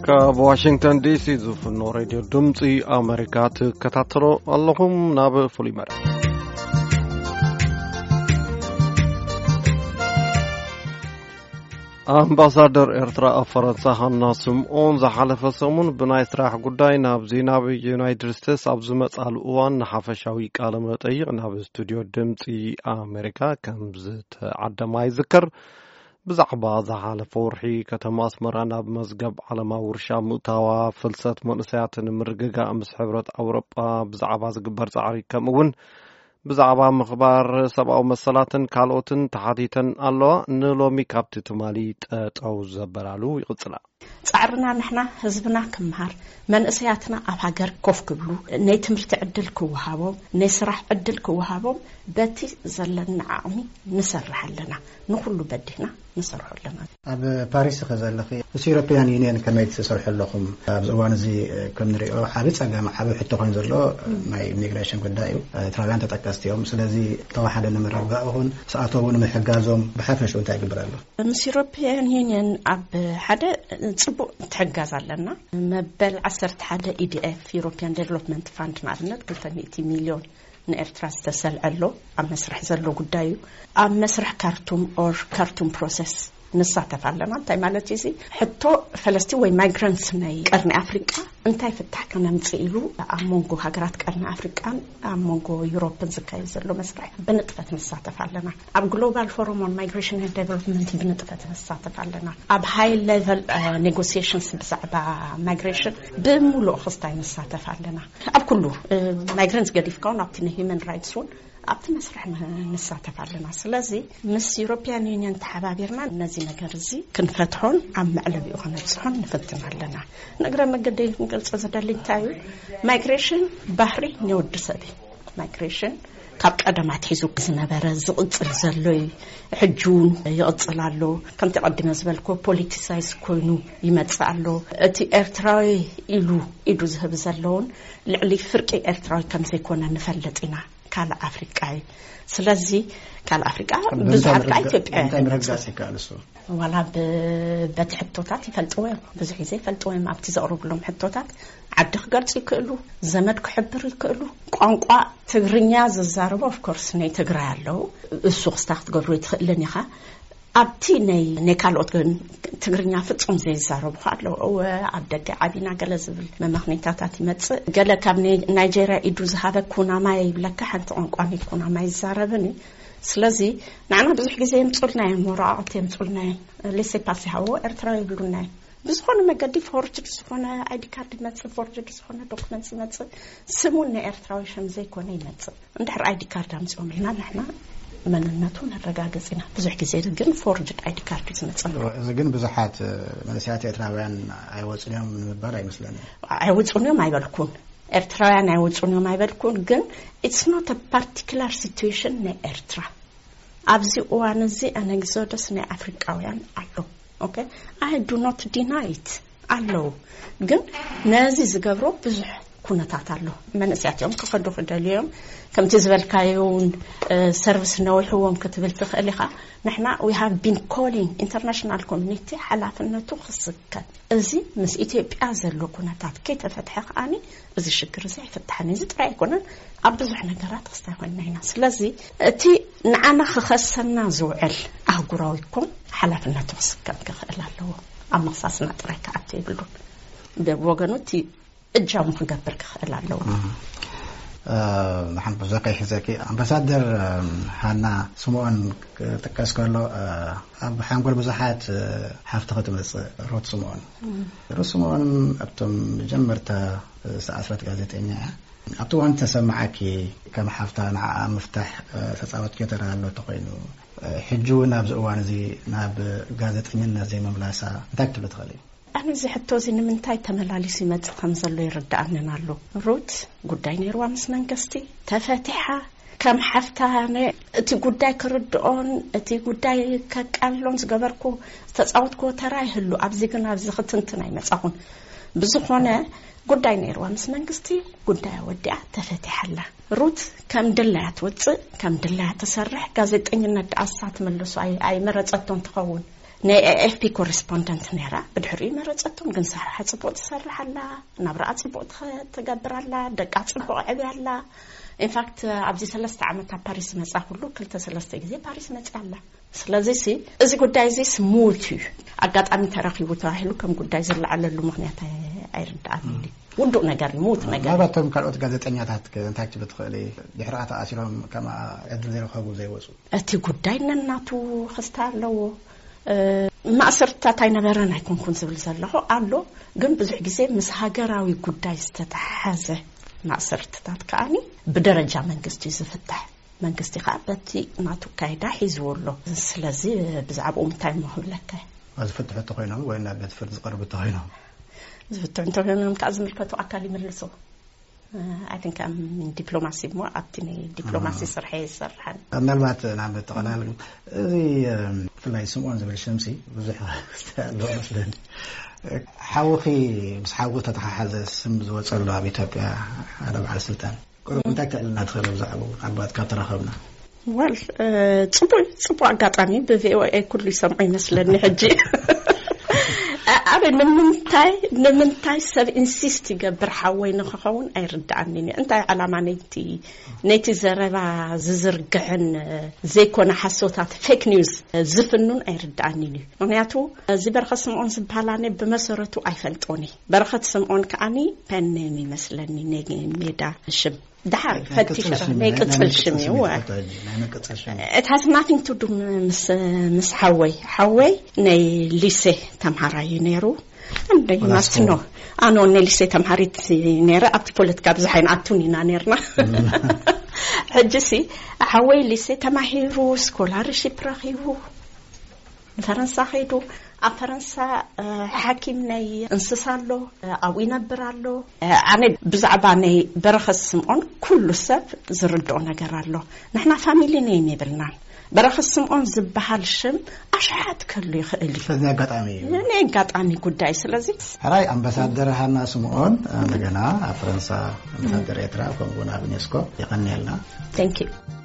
ካብ ዋሽንግተን ዲሲ ዝፍኖ ሬድዮ ድምፂ ኣሜሪካ ትከታተሎ ኣለኹም። ናብ ፍሉይ መደብ። ኣምባሳደር ኤርትራ ኣብ ፈረንሳ ሃና ስምኦን ዝሓለፈ ሰሙን ብናይ ስራሕ ጉዳይ ናብዚ ናብ ዩናይትድ ስቴትስ ኣብ ዝመጻሉ እዋን ንሓፈሻዊ ቃለ መጠይቕ ናብ ስቱድዮ ድምፂ ኣሜሪካ ከም ዝተዓደማ ይዝከር። ብዛዕባ ዝሓለፈ ወርሒ ከተማ ኣስመራ ናብ መዝገብ ዓለማዊ ውርሻ ምእታዋ፣ ፍልሰት መንእሰያትን ምርግጋእ ምስ ሕብረት ኣውሮጳ ብዛዕባ ዝግበር ጻዕሪ፣ ከምኡ እውን ብዛዕባ ምኽባር ሰብኣዊ መሰላትን ካልኦትን ተሓቲተን ኣለዋ። ንሎሚ ካብቲ ትማሊ ጠጠው ዘበላሉ ይቕጽላ። ጻዕርና ንሕና ህዝብና ክምሃር፣ መንእሰያትና ኣብ ሃገር ኮፍ ክብሉ፣ ናይ ትምህርቲ ዕድል ክወሃቦም፣ ናይ ስራሕ ዕድል ክወሃቦም በቲ ዘለና ዓቕሚ ንሰርሕ ኣለና። ንኹሉ በዲህና ንሰርሖ ኣለና። ኣብ ፓሪስ ኢኺ ዘለኺ፣ ምስ ዩሮፒያን ዩኒየን ከመይ ትሰርሑ ኣለኹም? ኣብዚ እዋን እዚ ከም ንሪኦ ዓቢ ጸገም፣ ዓቢ ሕቶ ኮይኑ ዘሎ ናይ ኢሚግሬሽን ጉዳይ እዩ። ኤርትራውያን ተጠቀስቲ እዮም። ስለዚ ተዋሓደ ንምርግጋእ ይኹን ስኣተው ንምሕጋዞም ብሓፈሽኡ እንታይ ይግበር ኣሎ? ምስ ዩሮፒያን ዩኒየን ኣብ ሓደ ጽቡቕ ትሕጋዝ ኣለና። መበል ዓሰርተ ሓደ ኢዲኤፍ፣ ዩሮፒያን ዴቨሎፕመንት ፋንድ፣ ንኣብነት ክልተ ሚእቲ ሚልዮን ንኤርትራ ዝተሰልዐ ኣሎ። ኣብ መስርሕ ዘሎ ጉዳይ እዩ። ኣብ መስርሕ ካርቱም ኦር ካርቱም ፕሮሰስ ንሳተፍ ኣለና። እንታይ ማለት እዩ እዚ? ሕቶ ፈለስቲ ወይ ማይግራንትስ ናይ ቀርኒ ኣፍሪቃ እንታይ ፍታሕ ከነምጽእ ኢሉ ኣብ መንጎ ሃገራት ቀርኒ ኣፍሪቃን ኣብ መንጎ ዩሮፕን ዝካየድ ዘሎ መስርሕ ብንጥፈት ንሳተፍ ኣለና። ኣብ ግሎባል ፎረም ኦን ማይግሬሽን ኤንድ ዴቨሎፕመንት ብንጥፈት ንሳተፍ ኣለና። ኣብ ሃይ ሌቨል ኔጎሲዬሽንስ ብዛዕባ ማይግሬሽን ብምሉእ ክስታይ ንሳተፍ ኣለና። ኣብ ኩሉ ማይግራንትስ ገዲፍካ እውን ኣብቲ ናይ ሂውማን ራይትስ እውን ኣብቲ መስርሕ ን- ንሳተፍ ኣለና። ስለዚ ምስ ዩሮፒያን ዩኒየን ተሓባቢርና ነዚ ነገር እዚ ክንፈትሖን ኣብ መዕለቢኡ ከነብፅሖን ንፍትን ኣለና። ንእግረ መገደይ ክንገልጾ ዝደሊ እንታይ እዩ፣ ማይግሬሽን ባህሪ ናይ ወዲ ሰብ እዩ። ማይግሬሽን ካብ ቀደም ኣትሒዙ ዝነበረ ዝቕጽል ዘሎ እዩ። ሕጂ እውን ይቕጽል ኣሎ። ከምቲ ቀዲመ ዝበልኮ ፖሊቲሳይዝ ኮይኑ ይመጽእ ኣሎ። እቲ ኤርትራዊ ኢሉ ኢዱ ዝህብ ዘለውን ልዕሊ ፍርቂ ኤርትራዊ ከም ዘይኮነ ንፈልጥ ኢና። ካልእ ኣፍሪቃ እዩ። ስለዚ ካልእ ኣፍሪቃ ብዙሓት ከኣ ኢትዮጵያውያን እንታይ ምርግጋጽ ይመጽኡ። ይከኣል እሱ? ዋላ ብ- በቲ ሕቶታት ይፈልጥዎ እዮም። ብዙሕ ግዜ ይፈልጥዎ እዮም። ኣብቲ ዘቕርብሎም ሕቶታት ዓዲ ክገልጹ ይክእሉ፣ ዘመድ ክሕብሩ ይክእሉ። ቋንቋ ትግርኛ ዝዛረቡ ኦፍኮርስ ናይ ትግራይ ኣለዉ። እሱ ክስታ ክትገብሩ ኣይትኽእልን ኢኻ። ኣብቲ ናይ ናይ ካልኦት ግን ትግርኛ ፍጹም ዘይዛረቡ ከኣ ኣለዉ። እወ ኣብ ደገ ዓቢና ገለ ዝብል መመኽኔታታት ይመጽእ። ገለ ካብ ናይ- ናይጄርያ ኢዱ ዝሃበ ኩናማይ ይብለካ፣ ሓንቲ ቋንቋ ናይ ኩናማይ ይዛረብን እዩ። ስለዚ ንዓና ብዙሕ ግዜ የምጹልና እዮም፣ ወረቓቕቲ የምጹልና እዮም። ሌሴ ፓስ ይሃብዎ ኤርትራዊ ይብሉና እዮም። ብዝኾነ መገዲ ፎርጅድ ዝኾነ ኣይዲ ካርድ ይመጽእ፣ ፎርጅድ ዝኾነ ዶክመንት ይመጽእ፣ ስሙ ናይ ኤርትራዊ ሽም ዘይኮነ ይመጽእ። እንድሕር ኣይዲ ካርድ ኣምጺኦም ኢልና ንሕና መንነቱ ነረጋግጽ ኢና። ብዙሕ ግዜ ግን ፎርጅድ ኣይዲ ካርድ እዩ ዝመጽእ። እዚ ግን ብዙሓት መንእሰያት ኤርትራውያን ኣይወጹን እዮም ንምባል ኣይመስለንን። ኣይወጹን እዮም ኣይበልኩን፣ ኤርትራውያን ኣይወጹን እዮም ኣይበልኩን። ግን it's not a particular situation ናይ ኤርትራ። ኣብዚ እዋን እዚ ኣን ኤግዞደስ ናይ ኣፍሪቃውያን ኣሎ። ኦኬ፣ I do not deny it፣ ኣለዉ። ግን ነዚ ዝገብሮ ብዙሕ ኩነታት ኣሎ። መንእሰያት እዮም ክኸዱ ክደልዩ እዮም። ከምቲ ዝበልካዮ እውን ሰርቪስ ነዊሕዎም ክትብል ትኽእል ኢኻ። ንሕና we have been calling international community ሓላፍነቱ ክስከም፣ እዚ ምስ ኢትዮጵያ ዘሎ ኩነታት ከይተፈትሐ ከኣኒ እዚ ሽግር እዚ ኣይፍታሕን። እዚ ጥራይ ኣይኮነን፣ ኣብ ብዙሕ ነገራት ክስታይ ኮይና ኢና። ስለዚ እቲ ንዓና ክኸሰና ዝውዕል ኣህጉራዊ ኮን ሓላፍነቱ ክስከም ክኽእል ኣለዎ። ኣብ ምኽሳስና ጥራይ ክኣቱ የብሉን። ብወገኑ እቲ እጃሙ ክገብር ክኽእል ኣለዎ። ሓንቲ ብዙሕ ከይሕዘኪ፣ ኣምባሳደር ሃና ስምኦን ክጥቀስ ከሎ ኣብ ሓንጎል ብዙሓት ሓፍቲ ክትመፅእ ሩት ስምኦን። ሩት ስምኦን ኣብቶም መጀመርታ ዝኣስረት ጋዜጠኛ እያ። ኣብቲ እዋን ተሰማዓኪ ከም ሓፍታ ንዓኣ ምፍታሕ ተፃወትኪ ተራ ኣሎ ተኮይኑ፣ ሕጂ እውን ኣብዚ እዋን እዚ ናብ ጋዜጠኝነት ዘይምምላሳ እንታይ ክትብሊ ትኽእሊ? ኣነ እዚ ሕቶ እዚ ንምንታይ ተመላሊሱ ይመጽእ ከም ዘሎ ይርድኣንን ኣሎ። ሩት ጉዳይ ነይርዋ ምስ መንግስቲ ተፈቲሓ፣ ከም ሓፍታ ኣነ እቲ ጉዳይ ክርድኦን እቲ ጉዳይ ከቃልሎን ዝገበርኩ ዝተጻወትኩዎ ተራ ይህሉ። ኣብዚ ግን ኣብዚ ክትንትን ኣይመጻኹን። ብዝኾነ ጉዳይ ነይርዋ ምስ መንግስቲ፣ ጉዳያ ወዲኣ ተፈቲሓ ኣላ። ሩት ከም ድላያ ትወጽእ፣ ከም ድላያ ትሰርሕ። ጋዜጠኝነት ደኣ እሳ ትመልሶ ኣይ- ኣይመረጸቶን ትኸውን። ናይ ኤኤፍፒ ኮረስፖንደንት ነይራ። ብድሕሪኡ መረጸቶም፣ ግን ስራሓ ጽቡቕ ትሰርሕ ኣላ፣ ናብራኣ ጽቡቕ ትኸ- ትገብር ኣላ፣ ደቃ ጽቡቕ ዕብያ ኣላ። ኢንፋክት ኣብዚ ሰለስተ ዓመት ኣብ ፓሪስ መጻ ኩሉ ክልተ ሰለስተ ግዜ ፓሪስ መጻ ኣላ። ስለዚ ሲ እዚ ጉዳይ እዚ ስሙት እዩ፣ ኣጋጣሚ ተረኺቡ ተባሂሉ ከም ጉዳይ ዝለዓለሉ ምክንያት ኣይ- ኣይርዳኣንን እዩ። ውዱእ ነገር እዩ፣ ምዉት ነገር እዩ። ምናልባት እቶም ካልኦት ጋዜጠኛታት ከ እንታይ ክትብል ትኽእሊ? ድሕሪኣ ተኣሲሮም ከማ ዕድል ዘይረኸቡ ዘይወፁ? እቲ ጉዳይ ነናቱ ክስታ ኣለዎ። እ፣ ማእሰርትታት ኣይነበረን ኣይኮንኩን ዝብል ዘለኹ ኣሎ፣ ግን ብዙሕ ግዜ ምስ ሃገራዊ ጉዳይ ዝተተሓዘ ማእሰርትታት ከኣኒ ብደረጃ መንግስቲ እዩ ዝፍታሕ። መንግስቲ ከዓ በቲ ናቱ ኣካይዳ ሒዝዎ ኣሎ። ስለዚ ብዛዕባኡ እንታይ እሞ ክብለካ እየ? ዝፍትሑ እንተኮይኖም ወይ ናብ ቤት ፍርዲ ዝቀርቡ እንተኮይኖም? ዝፍትሑ እንተኮይኖም ከዓ ዝምልከቱ ኣካል ይምልሶ። ኣይ ቲንክ ዲፕሎማሲ እሞ ኣብቲ ናይ ዲፕሎማሲ ስርሐ ይሰርሐን። ምናልባት ናብ ጠቕላል እዚ ብፍላይ ስምኦን ዝብል ሽምሲ ብዙሕ ክስተ ኣለዎ መስለኒ። ሓውኺ ምስ ሓዊ ተተሓሓዘ ስም ዝወፀሉ ኣብ ኢትዮጵያ ሓደ በዓል ስልጣን ቁሩብ እንታይ ክተዕልና ትኽእል ብዛዕባኡ ኣባት ካብ ተራኸብና? ወል ጽቡቅ ጽቡቅ ኣጋጣሚ ብቪኦኤ ኩሉ ይሰምዖ ይመስለኒ ሕጂ። ኣበ ንምንታይ ንምንታይ ሰብ ኢንሲስት ይገብር ሓወይ ንክኸውን ኣይርዳኣንን እዩ። እንታይ ዓላማ ነይቲ ነይቲ ዘረባ ዝዝርግሕን ዘይኮነ ሓሶታት ፌክ ኒውስ ዝፍኑን ኣይርዳኣንን እዩ። ምክንያቱ እዚ በረኸት ስምዖን ዝበሃል ኣነ ብመሰረቱ ኣይፈልጦን እየ። በረኸት ስምዖን ከዓኒ ፐን ኔም ይመስለኒ ናይ ሜዳ ሽም። ደሓር ፈቲሸ ናይ ቅጽል ሽም እዩ። It has nothing to do ምስ ምስ ሓወይ ሓወይ ናይ ሊሴ ተምሃራይ እዩ ነይሩ። እንደይ ማስትኖ ኣኖ ናይ ሊሴ ተምሃሪት ነይረ። ኣብቲ ፖለቲካ ብዙሕ ኣይንኣቱን ኢና ነርና። ሕጂ ሲ ሓወይ ሊሴ ተማሂሩ ስኮላርሺፕ ረኺቡ ፈረንሳ ከይዱ። ኣብ ፈረንሳ ሓኪም ናይ እንስሳ ኣሎ፣ ኣብኡ ይነብር ኣሎ። ኣነ ብዛዕባ ናይ በረኸት ስምዖን ኩሉ ሰብ ዝርድኦ ነገር ኣሎ። ንሕና ፋሚሊ ኔም የብልናን። በረኸት ስምዖን ዝበሃል ሽም ኣሽሓት ከሉ ይኽእል እዩ። ስለዚ ኣጋጣሚ እዩ። ናይ ኣጋጣሚ ጉዳይ። ስለዚ ሕራይ ኣምባሳደር ሃና ስምዖን እንደገና ኣብ ፈረንሳ ኣምባሳደር ኤርትራ ከምኡ እውን ኣብ ዩኔስኮ የቐንየልና። Thank you።